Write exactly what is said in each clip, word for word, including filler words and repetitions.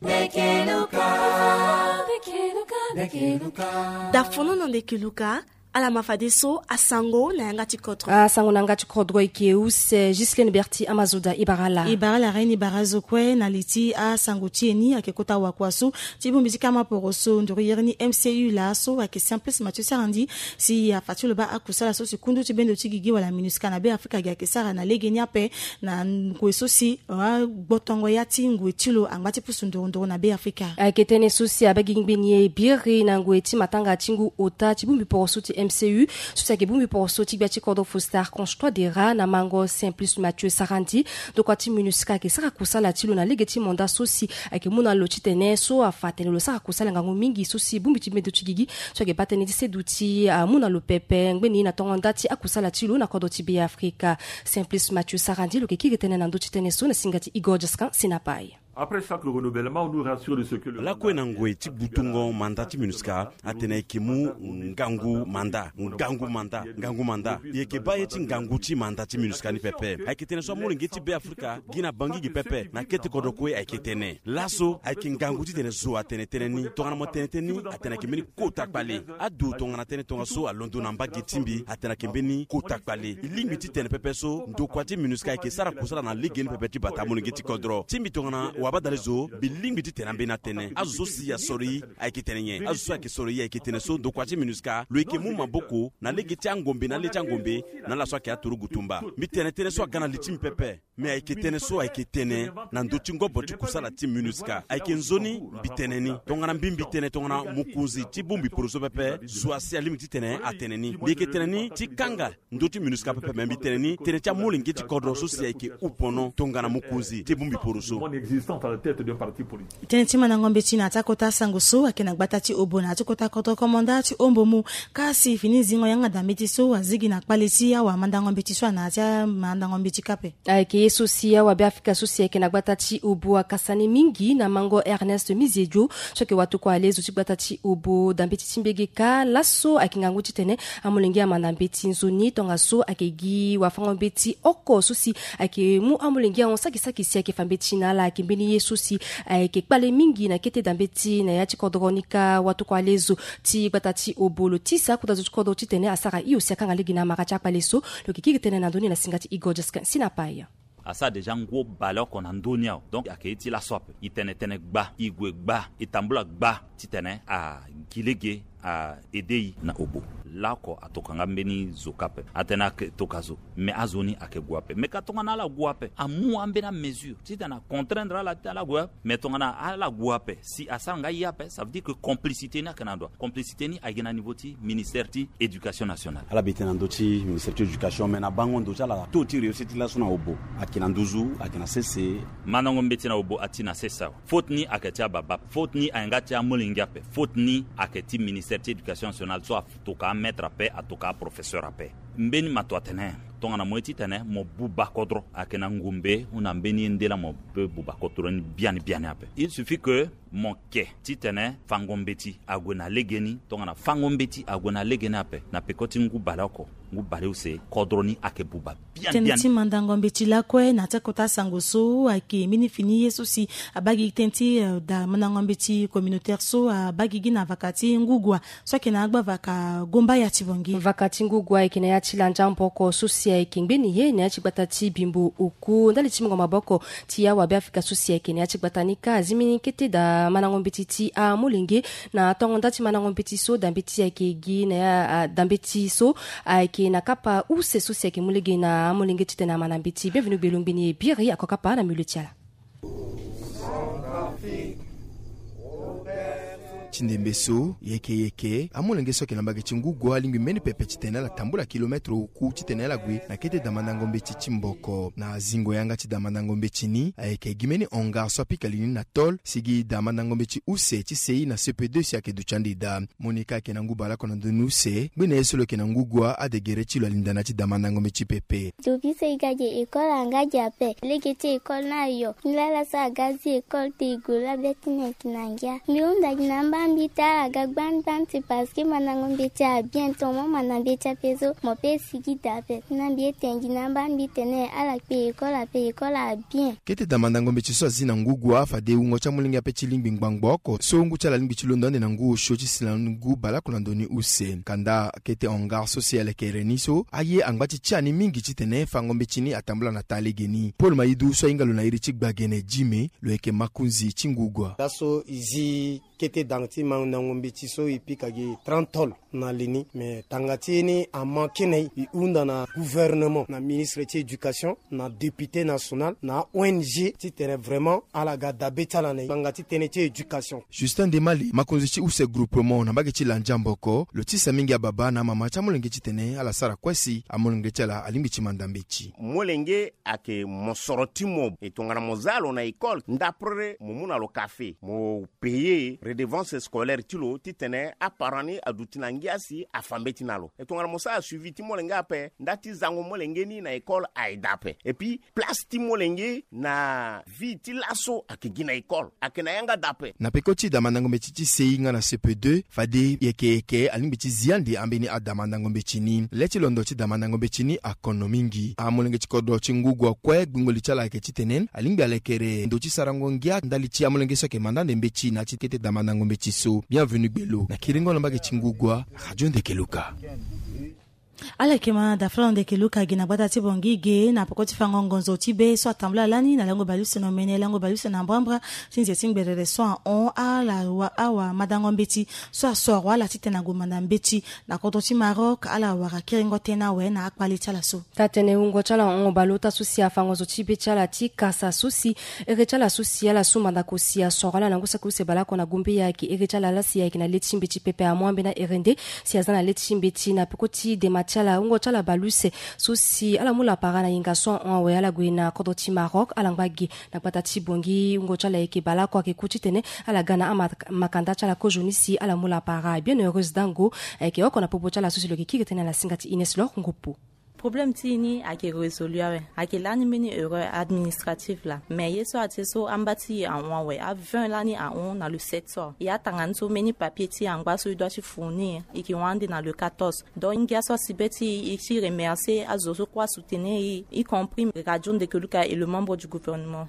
Ndeke Luka. Ndeke Luka, Ndeke Luka. Dafono na Ndeke Luka. Ala ma fadeso asango na yanga ti kodro. Asango na yanga ti kodro eke use Gislaine Berti Amazoda. E bara ala. E bara ala ren, e bara azo kue na li ti asango ti e ni. Ayeke kota wakua so ti bongbi ti kama poroso nduru yere ni M C U laso ayeke Simplice Mathieu Sarandji, si afa ti lo baa akusala so si kundu ti bendo ti gigi wala MINUSCA na Be Afrika gi ayeke sara na legeni ape na ngoi so si agbotongo ya ti ngoi ti lo angba ti pusu nduru nduru na Be Afrika. Ayeke tënë so si abaa gigi ngbeni e biri na ngoi ti matanga ti ngu ota ti bongbi poroso ti M C U so si ayeke bongbi poroso ti gbia ti kodro Faustin Archange Touadéra na mango Simplice Mathieu Sarandji. Ndokua ti MINUSCA ayeke sara kusala ti lo na lege ti manda so si ayeke mu na lo titene so afa atene lo sara kusala ngangu mingi so si bongbi ti bendo ti gigi so ayeke baa tënë ti seduti amu na lo pepe ngbeni na tongo nda ti akusala ti lo na kodro ti Be Afrika. Simplice Mathieu Sarandji lo yeke kiri tënë na ndö ti tënë so na singa ti Igor Jaskan Sinapai. Après chaque renouvellement, on nous rassure de ce que le... Lakue na ngoi ti butungo manda ti MINUSCA atene e yeke mu ngangu manda, ngangu manda, ngangu manda. E yeke baa ye ti ngangu ti manda ti MINUSCA ni pepe. Ayeke tene so amolenge ti Be Afrika gi na Bangui gi pepe na kete kodro kue ayeke tene. Laso ayeke ngangu titene zo atene tënë ni. Tongana mo tene tënë ni atene ayeke mbeni kota kpale. Adu tongana tënë tongaso alondo na mbage ti mbi atene ayeke mbeni kota kpale. E lingbi titene pepe so ndokua ti MINUSCA ayeke sara kusala na legeni pepe ti bata amolenge ti kodro ti mbi. Tongana wabadale zo mbi lingbi titene ambeni atene azo so si asoro e ayeke tene nyen? Azo so ayeke soro e ayeke tene so ndokua ti MINUSCA lo yeke mu maboko na lege ti angombe na le ti angombe na ala so ayeke aturugu tumba. Mbi tene tënë so aga na li ti mbi pepe. Me ayeke tënë so ayeke tene na ndö ti ngobo ti kusala ti MINUSCA. Ayeke nzoni mbi tene ni. Tongana mbi mbi tene tongana mokonzi ti bongbi poroso pepe zo asi alingbi titene atene ni. Mbi yeke tene ni ti kanga ndö ti MINUSCA pepe, me mbi tene ni tënë ti amolenge ti kodro so si ayeke upono tongana mokonzi ti bongbi poroso. Tënë ti mandango mbeti na ya ti akota sango so ayeke na gbata ti Obo na ya ti kota kodro komanda ti Ombomu. Kasi fini zingo yanga da mbeti so azigi na kpale ti awamandango mbeti so ana ya ti amandango mbeti kâ ape. Ayeke ye so si awabe Afrika so si ayeke na gbata ti Obo akasa ni mingi na mango Ernest Miziedio so ayeke watokua alezo ti gbata ti Obo da mbeti ti mbege kâ. Laso ayeke ngangu titene amolenge amanda mbeti nzoni tongaso ayeke gi wafango mbeti oko so si ayeke mu amolenge ahon saki saki si ayeke fa mbeti na ala ayeke mbeni ye so si ayeke kpale mingi na kete da mbeti na ya ti kodro ni kâ. Watokua alezo ti gbata ti Obo lo tisa akota zo ti kodro titene asara hio si akanga lege na amara ti akpale so. Lo yeke kiri tënë na ndö ni na singa ti Igor Jaskin Sinapai. Asara déjà ngu baleoko na ndö ni awe. Donc ayeke ye ti laso ape. E tene tënë gba, e gue gba, e tambula gba titene agi lege a aide e na Obo. Laoko atokua nga mbeni zo kâ ape. Atene ayeke tokua zo, me azo ni ayeke gue ape. Me ka tongana ala gue ape, amu ambeni amesure titene acontraindre ala ti ala gue ape. Me tongana ala gue ape si asara nga ye ape, ça veut dire que complicité ni ayeke na ndo. Complicité ni ayeke na niveau ti ministère ti éducation nationale. Ala bi tënë na ndö ti ministère ti éducation, me na bango ndo ti ala, taux ti réussite ti laso na Obo ayeke na nduzu, ayeke na sese. Mandango mbeti na Obo ati na sese awe. Faute ni ayeke ti ababa ape. Faute ni ayeke nga ti amolenge ape. Faute ni ayeke ti ministère ti éducation nationale so atoka amaître ape, atoka aprofesseur ape. Mbeni mato atene tongana mo ye titene mo buba kodro ayeke na ngumbe, ou na mbeni ye nde laa mo peut buba kodro ni biani biani ape. Il suffit que mo ke titene fango mbeti ague na legeni. Tongana fango mbeti ague na legeni ape, na peko ti ngu baleoko, ngu baleuse, kodro ni ayeke buba biani biani. Tënë ti mandango mbeti lakue na ya ti akota sango so ayeke mbeni fini ye so si abaa gigi tënë ti, eh, da mandango mbeti communautaire so abaa gigi na vaka ti ngu gua so ayeke na agba vaka Gombaya ti Bangui. Vaka ti ngu gua ayeke na ya ti landia maboko so si ayeke ngbeni ye na ya ti gbata ti Bimbo Oku. Ndali ti mungo maboko ti awabe Afrika so si ayeke na ya ti gbata ni kâ azi mbeni kete da mandango mbeti ti amolenge. Na tongo nda ti mandango mbeti so, da mbeti ayeke gi na ya, ah, da mbeti so ayeke na kapa use so si ayeke mu lege na amolenge titene amanda mbeti. Bienvenu Gbelo ngbeni e biri ako kapa na milieu ti ala. Ti ndembe so, yeke yeke, amolenge so ayeke na mbage ti ngu gua alingbi mbeni pepe titene ala tambula kilomètre oku titene ala gue na kete da mandango mbeti ti maboko. Na zingo yanga ti da mandango mbeti ni, ayeke gi mbeni hangar so apika li ni na tôle, si gi da mandango mbeti use ti C I na C P deux si ayeke duti ande daa. Monica ayeke na ngu baleoko na ndoni use, ngbene ye so lo yeke na ngu gua, adegere ti lo alinda na ya ti da mandango mbeti pepe. Dobi so e ga gi école anga gi ape. Lege ti école ni ayo. Nilaa laso aga zi école te e gue laa be ti ni ayeke na ngia. Mbi hunda gi na amba Mbi ta ala ga gbangban ti parce que mandango mbeti abien, tongo mo manda mbeti ape so mo pe sigi daa ape. Na mbi ete ngi na amba mbi tene ala kpe école ape, école abien. Kete da mandango mbeti so azi na ngu gua fade wungo ti amolenge ape ti lingbi ngbangbo oko so ngu ti ala alingbi ti londo ande na ngu osio ti si na ngu baleoko na ndoni use. Kanda kete hangar so si alekere ni so aye angba ti tia ni mingi titene fango mbeti ni atambula na taa legeni. Paul Mayidu so ahinga lo na iri ti gbagene dime, lo yeke makonzi ti ngu gua. Laso e zi kete da ti mandango mbeti so e pika gi trente tôles na li ni, me tanga ti ye ni amanke na e. E hunda na gouvernement, na ministre ti éducation, na député national, na O N G titene vraiment ala ga dabe ti ala na e ngbanga ti tënë ti éducation. Justin Demali, makonzi ti use groupement na mbage ti Landiamboko, lo tisa mingi ababa na amama ti amolenge titene ala sara kue si amolenge ti ala alingbi ti manda mbeti. Molenge ayeke mosoro ti mo. E tongana mo za lo na école, ndapre mo mu na lo kafe, mo payer redevance scolaire ti lo titene aparent ni aduti na ngia si afa mbeti na lo. E tongana mo sara suivi ti molenge ape, nda ti zango molenge ni na école aye daa ape. Et puis place ti molenge na vie ti laso ayeke gi na école, ayeke na yanga daa ape. Na peko ti da mandango mbeti ti C I nga na C P deux, fade yeke yeke alingbi ti zi ande ambeni ada mandango mbeti ni. Le ti londo ti da mandango mbeti ni akono mingi. Amolenge ti kodro ti ngu gua kue gbingo li ti ala ayeke titene alingbi alekere ndo ti sarango ngia ndali ti amolenge so ayeke manda ande mbeti na ya ti kete da mandango mbeti so. Bienvenu Gbelo na kiringo na mbage ti ngu gua, Radio Ndeke Luka. Ala yeke ma da fla na Ndeke Luka gi na gbata ti Bongi ge na peko ti fango ngonzo ti be so atambula lani na lango baleuse na omene, lango baleuse na mbrambra ti nze ti ngberere so ahon ala wa awa mandango mbeti so asoro ala titene ague manda mbeti na kodro ti Maroc. Ala wara kiringo tënë awe na akpale ti ala so. Taa-tënë wungo ti ala ahon baleota so si afango zo ti be ti ala ti kasa so si ere ti ala so si ala su mandako si asoro ala na ngu saki use baleoko na gombe, ayeke ere ti ala laa si ayeke na le ti mbeti pepe amu ambeni aere nde si aza na le ti mbeti na peko ti dema ti ala. Wungo ti ala baleuse so si ala mu lapara na yenga so ahon awe, ala gue na kodro ti Maroc, ala ngba ge na gbata ti Bongi. Wungo ti ala ayeke baleoko, ayeke ku titene ala ga na amak- makanda ti ala kozo ni si ala mu lapara. Bienheureuse Dango ayeke oko na popo ti ala so si lo yeke kiri tënë na singa ti Ines Lor Ngopo. Problème ti e ni ayeke résolu awe, ayeke lani mbeni erreur administrative laa. Mais ye so ati so amba ti e ahon awe, a vingt lani ahon na le sept so. E atanga ni so mbeni papier ti e angba so e doit ti fournir, e yeke hon ande na le quatorze. Donc ngia so asi be ti e, e ti remercier azo so kue asoutenir e, y compris Radio Ndeke Luka et le membre du gouvernement.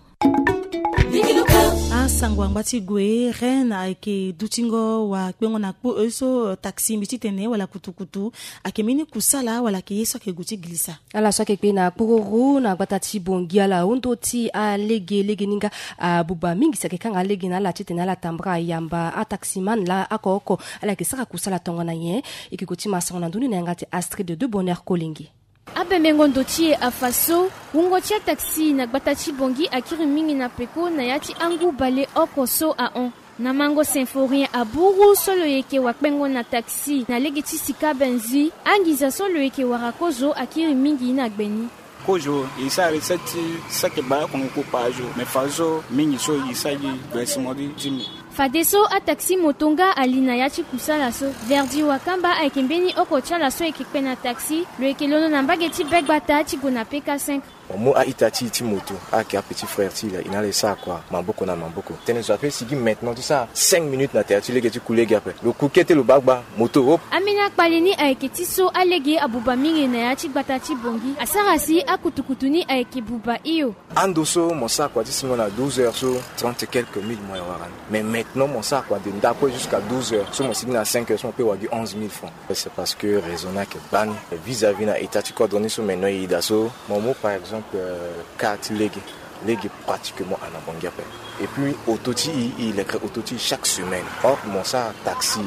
Asango angba ti gue, Rennes ayeke dutingo wakpengo na kpo e so taxi mbi titene wala kutukutu ayeke mbeni kusala wala ayeke ye so ayeke gue ti gilisa. Ala so ayeke kpe na kpururu na gbata ti Bongi, ala hon ndö ti alege, lege ni nga abuba mingi si ayeke kanga lege na ala titene ala tambara yamba ataximan laa oko oko ala yeke sara kusala tongana nyen. E yeke gue ti masango na ndö ni na yanga ti Astrid de Bonheur Kolenge. Abembengo ndo ti e afa so, wungo ti ataxi na gbata ti Bongi akiri mingi na peko na ya ti angu baleoko so ahon. Na mango Symphorien Aburu so lo yeke wakpengo na taxi na lege ti sika Benzui, anginza so lo yeke wara kozo akiri mingi na gbe ni. Kozo e sara recette ti saki baleoko ngu kpo par jour, mais fadeso mingi so e sara gi versement ti dix mille. Fadeso ataxi moto nga ali na ya ti kusala so. Verdi Wakamba ayeke mbeni oko ti ala so e yeke kpe na taxi, lo yeke londo na mbage ti be gbata ti gue na P K cinq. Mo mu a-ita ti e ti moto, ayeke apetit frère ti e laa, e na ala e sara kua maboko na maboko. Tënë so ape sigi maintenant ti sara cinq minutes na tere ti lege ti ku lege ape. Lo ku kete lo baa gba moto, hop. Ambeni akpale ni ayeke ti so alege abuba mingi na ya ti gbata ti Bongi, asara si akutukutu ni ayeke buba hio. Ando so mo sara kua ti singo na douze heures so, trente et quelques mille mo yeke wara ni. Mais maintenant mo sara kua de ndakue jusqu'à douze heures so, mo sigi na cinq heures so mo pe wara gi onze mille francs. C'est parce que raison ni ayeke gbani vis-à-vis na état ti kodro ni so maintenant e yeda so. Mo mu par exemple, euh, cas ti lege. Lege pratiquement ana Bongi ape. Et puis auto ti e, e lekere auto ti e chaque semaine. Or mo sara taxi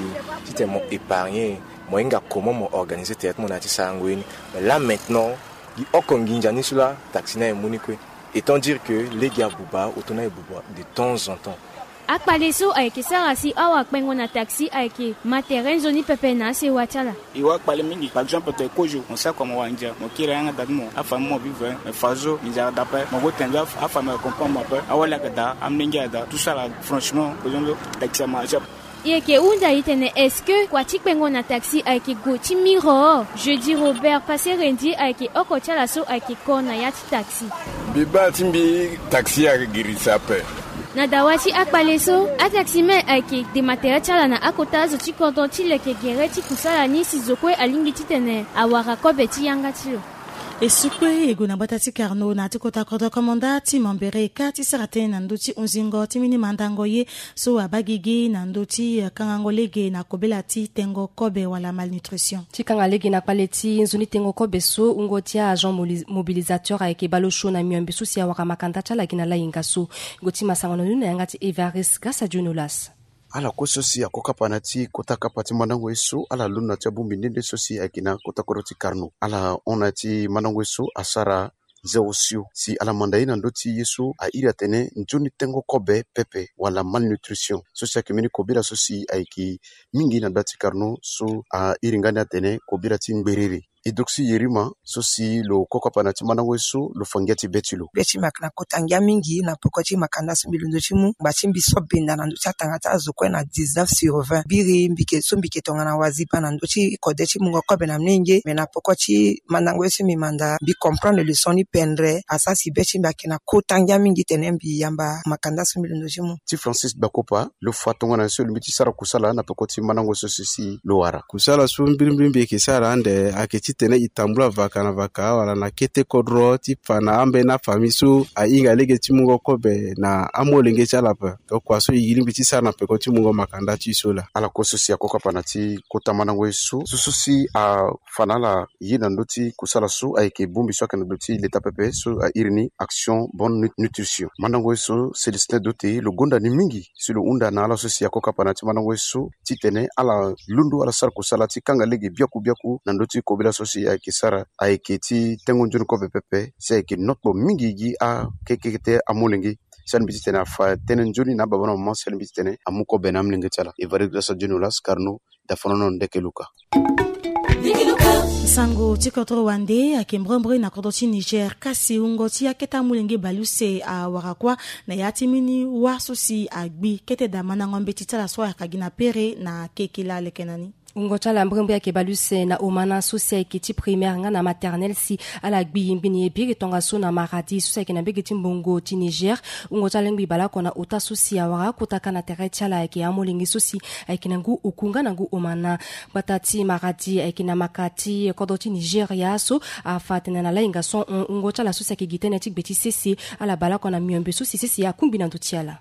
titene mo épargner, mo hinga comment mo organiser tere ti mo na ya ti sarango ye ni. Mais là maintenant, gi oko nginza ni so laa taxi ni aye mu ni kue. Étant dire que lege abuba, auto ni aye buba de temps en temps. Akpale so ayeke sara si awakpengo na taxi ayeke ma tere nzoni pepe na asewa ti ala. E wara kpale mingi. Par exemple tene kozo mo sara kua mo wara ndia, mo kiri yanga da ti mo, afamille mo vivre, mais fadeso nginza ayeke daa ape. Mo gue tene nzoni, afamille ayeke comprendre mo ape. Awali ayeke daa, amolenge ayeke daa, tout ça là, franchement, kozo ndo taxi amarche ape. E yeke hunda e tene, est-ce que kua ti kpengo na taxi ayeke gue ti miro? Jeudi Robert Passé Rendi ayeke oko ti ala so ayeke ko na ya ti taxi. Mbi baa ti mbi, taxi ayeke girisa ape. Na dawa ti akpale so, ataximen ayeke dema tere ti ala na akota azo ti kodro ti leke gere ti kusala ni si zo kue alingbi titene awara kobe ti yanga ti lo. E su kue e gue na gbata ti Carnot na ya ti kota kodro komanda ti Mambere ka ti sara tënë na ndö ti hunzingo ti mbeni mandango ye so abaa gigi na ndö ti kangango lege na kobela ti tengo kobe wala malnutrition. Ti kanga lege na kpale ti nzoni tengo kobe so, wungo ti a-agent moli-, mobilisateur ayeke bale osio na miombe so si awara makanda ti ala gi na lahinga so. Gue ti masango na ni na yanga ti Evariste Gasa Dionolas. Ala kue so si ako kapa na ya ti kota kapa ti mandango ye so, ala londo na ya ti abongbi nde nde so si ayeke na kota kodro ti Carnot. Ala hon na ya ti mandango ye so asara nze osio si ala manda ye na ndö ti ye so airi atene nzoni tengo kobe pepe wala malnutrition. So si ayeke mbeni kobela so si ayeke mingi na gbata ti Carnot so airi nga ni atene kobela ti ngberere. Eudoxie Yerima so si lo ko kapa na ya ti mandango ye so lo fa ngia ti be ti lo. Be ti mbi ayeke na kota ngia mingi na peko ti makanda so mbi londo ti mu ngba ti mbi so benda na ndö ti atanga ti azo kue na dix-neuf sur vingt. Biri mbi yeke so mbi yeke tongana waziba na ndö ti kode ti mungo kobe na molenge. Me na peko ti mandango ye so mbi manda, mbi comprendre leçon ni pendre. Asara si be ti mbi ayeke na kota ngia mingi tene mbi yamba makanda so mbi londo ti mu. Ti Francis Bakopa, lo fa tongana nyen so lo mbi ti sara kusala na peko ti mandango so si si lo wara. Kusala so mbirimbiri mbi yeke sara ande ayeke titene e tambula vaka na vaka wala na kete kodro ti fa na ambeni afamille so ahinga lege ti mungo kobe na amolenge ti ala ape. Tokua so e lingbi ti sara na peko ti mungo makanda ti e so laa. Ala kue so si ako kapa na ya ti kota mandango ye so, so so si afa na ala ye na ndö ti kusala so ayeke bongbi so ayeke na ndö ti leta pepe so airi ni Action Bonne Nut-, Nutrition. Mandango ye so Célestin Dote lo gonda ni mingi si lo hunda na ala so si ako kapa na ya ti mandango ye so titene ala londo ala sara kusala ti kanga lege biaku biaku na ndö ti kobela so si ayeke sara ayeke ti tengo nzoni kobe pepe si ayeke nokpo mingi gi akekete amolenge. Si ala mbi titene afa tënë nzoni na ababa na mama si ala mbi titene amu kobe na amolenge ti ala. Evariste Gasa Dionolas, Carnot, Dafonono Ndeke Luka. Sango ti kodro wande ayeke mbrembre na kodro ti Niger, kasi wungo ti akete amolenge baleuse awara kuâ na ya ti mbeni wâ so si agbi. Kete daa mandango mbeti ti ala so ayaka gi na pere na kekela leke na ni. Wungo ti ala mbrembre ayeke baleuse na omana so si ayeke ti primaire nga na maternelle si ala gbi mbeni ye biri tongaso na Maradi so si ayeke na mbege ti mbongo ti Niger. Wungo ti ala lingbi baleoko na ota so si awara akota ka na tere ti ala ayeke amolenge so si ayeke na ngu oku nga na ngu omana. Gbata ti Maradi ayeke na maka ti kodro ti Nigeria so afa atene na lahinga so hon, wungo ti ala so si ayeke gi tënë ti gbe ti sese, ala baleoko na miombe so si sese akungbi na ndö ti ala.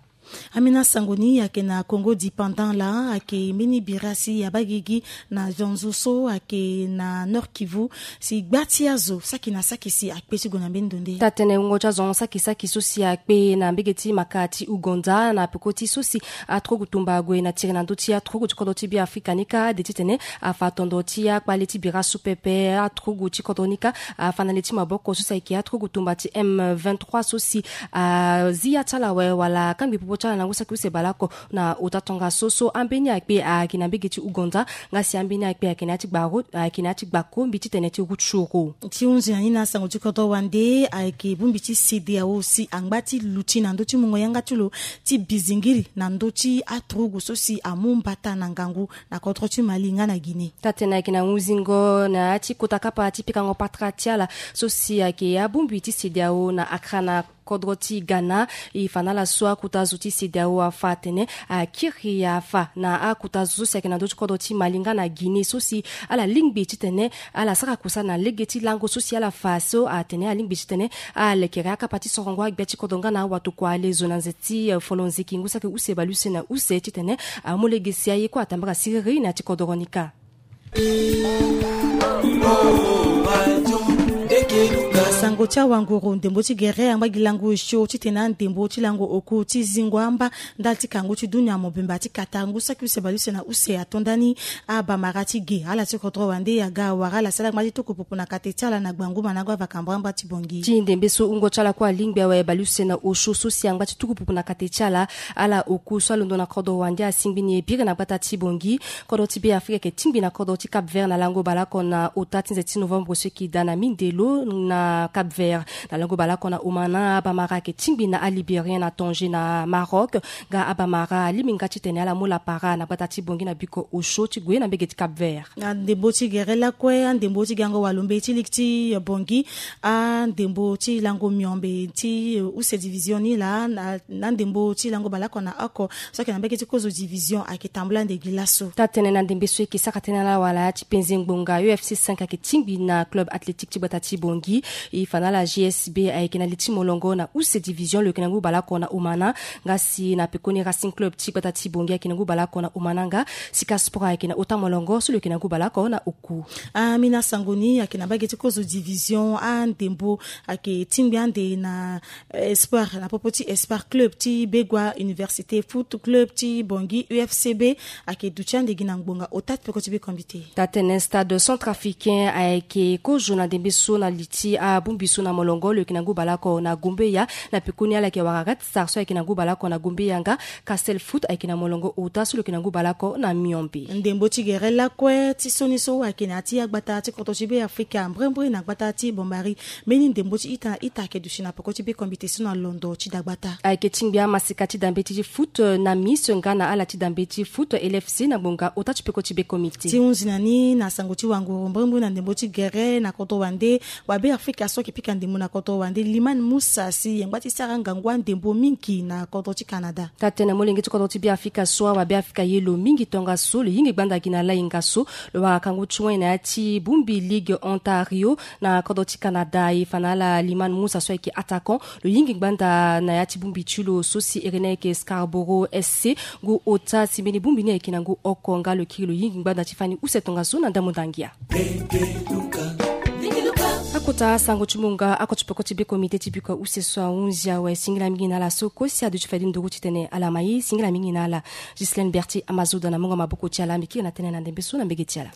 Ambeni asango ni ayeke na Congo Dépendant laa, ayeke mbeni bira si abaa gigi na zonzo so ayeke na Nord-Kivu, si gba ti azo saki na saki si akpe ti gue na mbeni ndo nde. Taa-tënë wungo ti azo saki saki so si akpe na mbege ti maka ti Ouganda na peko ti so si aturugu tumba ague na tiri na ndö ti aturugu ti kodro ti Beafrika ni kâ, ade titene afa tondo ti akpale ti bira so pepe. Aturugu ti kodro ni kâ afa na le ti maboko so si ayeke aturugu tumba ti M vingt-trois so si azi ya ti ala awe wala akangbi popo ti ala na ngu saki use baleoko na ota tongaso so ambeni akpe ayeke na mbege ti Ouganda, nga si ambeni akpe ayeke na ya ti gba ro-, ayeke na ya ti gba kombi titene ti Rutshuru. Ti hunzi na ni na asango ti kodro wande, ayeke bongbi ti CEDEAO si angba ti luti na ndö ti mungo yanga ti lo ti bizingiri na ndö ti aturugu so si amu mbata na ngangu na kodro ti Mali nga na Guinée. Taa-tënë ayeke na hunzingo na ya ti kota kapa ti pikango patara ti ala so si ayeke abongbi ti CEDEAO na Accra na kodro ti Ghana. E fa na ala so akota zo ti CEDEAO afa atene akiri afa na akota zo so si ayeke na ndö ti kodro ti Mali nga na Guinée so si ala lingbi titene ala sara kusala na lege ti lango so si ala fa so atene alingbi titene alekere akapa ti sorongo agbia ti kodro nga na awatokua ale zo na nze ti, eh, folo nziki ngu saki use baleuse na use titene amu lege si aye kue atambara siriri na ya ti kodro ni kâ. Sango ti awanguru ndembo ti gere angba gi lango osio titene andembo ti lango oku ti zingo amba ndali ti kangu ti dunia mobimba ti kata ngu saki use baleuse na use ato ndani abamara ti ge. Ala ti kodro wande aga awara ala sala angba ti tuku pupu na kate ti ala na gbangu mandango avaka mbrambra ti bongi. Ti ndembe so wungo ti ala kue alingbi awe baleuse na osio so si angba ti tuku pupu na kate ti ala. Ala oku so alondo na kodro wande asingbi ni e biri na gbata ti bongi. Kodro ti Beafrika ayeke tingbi na kodro ti Cap Vert na lango baleoko na ota ti nze ti novembre so eke daa na mindelo na Cap Vert. Na lango baleoko na Omana, Abamara ayeke tingbi na Alibérien na Tanger na Maroc. Nga Abamara alingbi nga titene ala mu lapara na gbata ti Bangui na biko osio ti gue na mbege ti Cap Vert. Na ndembo ti gere lakue, andembo ti gango walo mbei ti ligi ti Bangui, andembo ti lango miombe ti use division ni laa na ndembo ti lango baleoko na oko so ayeke na mbege ti kozo division ayeke tambula ndegi laso. Taa-tënë na ndembe so eke sara tënë na ala wala ya ti penze ngbonga, U F C cinq ayeke tingbi na club athlétique ti gbata ti Bangui. E fa na ala G S B ayeke na li ti molongo na use division lo yeke na ngu baleoko na Omana. Nga si na pekoni Racing Club ti gbata ti Bangui ayeke na ngu baleoko na Omana, nga Sika Sport ayeke na ota molongo so lo yeke na ngu baleoko na oku. Amina sango ni ayeke na mbage ti kozo division andembo ayeke tingbi ande na Espoir, na popo ti Espoir Club ti Begua, Université Foot Club ti Bangui, U F C B, ayeke duti ande gi na ngbonga ota ti peko ti be comité. Taa-tënë, Stade Centrafricain ayeke kozo na ndembe so na li ti abongbi so na molongo lo yeke na ngu baleoko na Gombeya. Na pekoni ala yeke wara Red Star so ayeke na ngu baleoko na Gombeya, nga Castel Foot ayeke na molongo ota so lo yeke na ngu baleoko na miombe. Ndembo ti gere lakue ti sioni so ayeke na ya ti agbata ti kodro ti Be Afrika, mbrimbri na gbata ti Bombari, mbeni ndembo ti ita na ita ayeke duti na peko ti be comité so na londo ti dagbata. Ayeke tingbi amasika ti dambe ti foot, eh, na Miss nga na ala ti dambe ti foot, L F C, na ngbonga ota ti peko ti be comité. Ti hunzi na ni na sango ti wanguru, mbrimbri na ndembo ti gere na kodro wande, wabe Afrika so ayeke pika ndembo na kodro wande, Liman Musa, si yengba ti sara ngangu andembo mingi na kodro ti Canada. Taa-tënë, molenge ti kodro ti Be Afrika so, awabe Afrika ye lo mingi tongaso, lo yingi gbanda gi na lainga so, lo wara kangu ti win na ya ti bongbi Ligue Ontario na kodro ti Canada. E fa na ala Liman Musa so ayeke attaquant, lo yingi gbanda na ya ti bongbi ti lo so si ere ni ayeke Scarborough S C. Ngu ota si mbeni bongbi ni ayeke na ngu oko, nga lo kiri lo yingi gbanda ti fani use tongaso na ndambo ndangia. Akota sango ti munga, oko ti peko ti be comité ti biko use so ahunzi awe. Singila mingi na ala so kue si aduti fade nduru titene ala ma ye. Singila mingi na ala. Ghislaine Berthier Amazoda na mungo maboko ti ala, mbi kiri na tënë na ndembe so na mbege ti ala.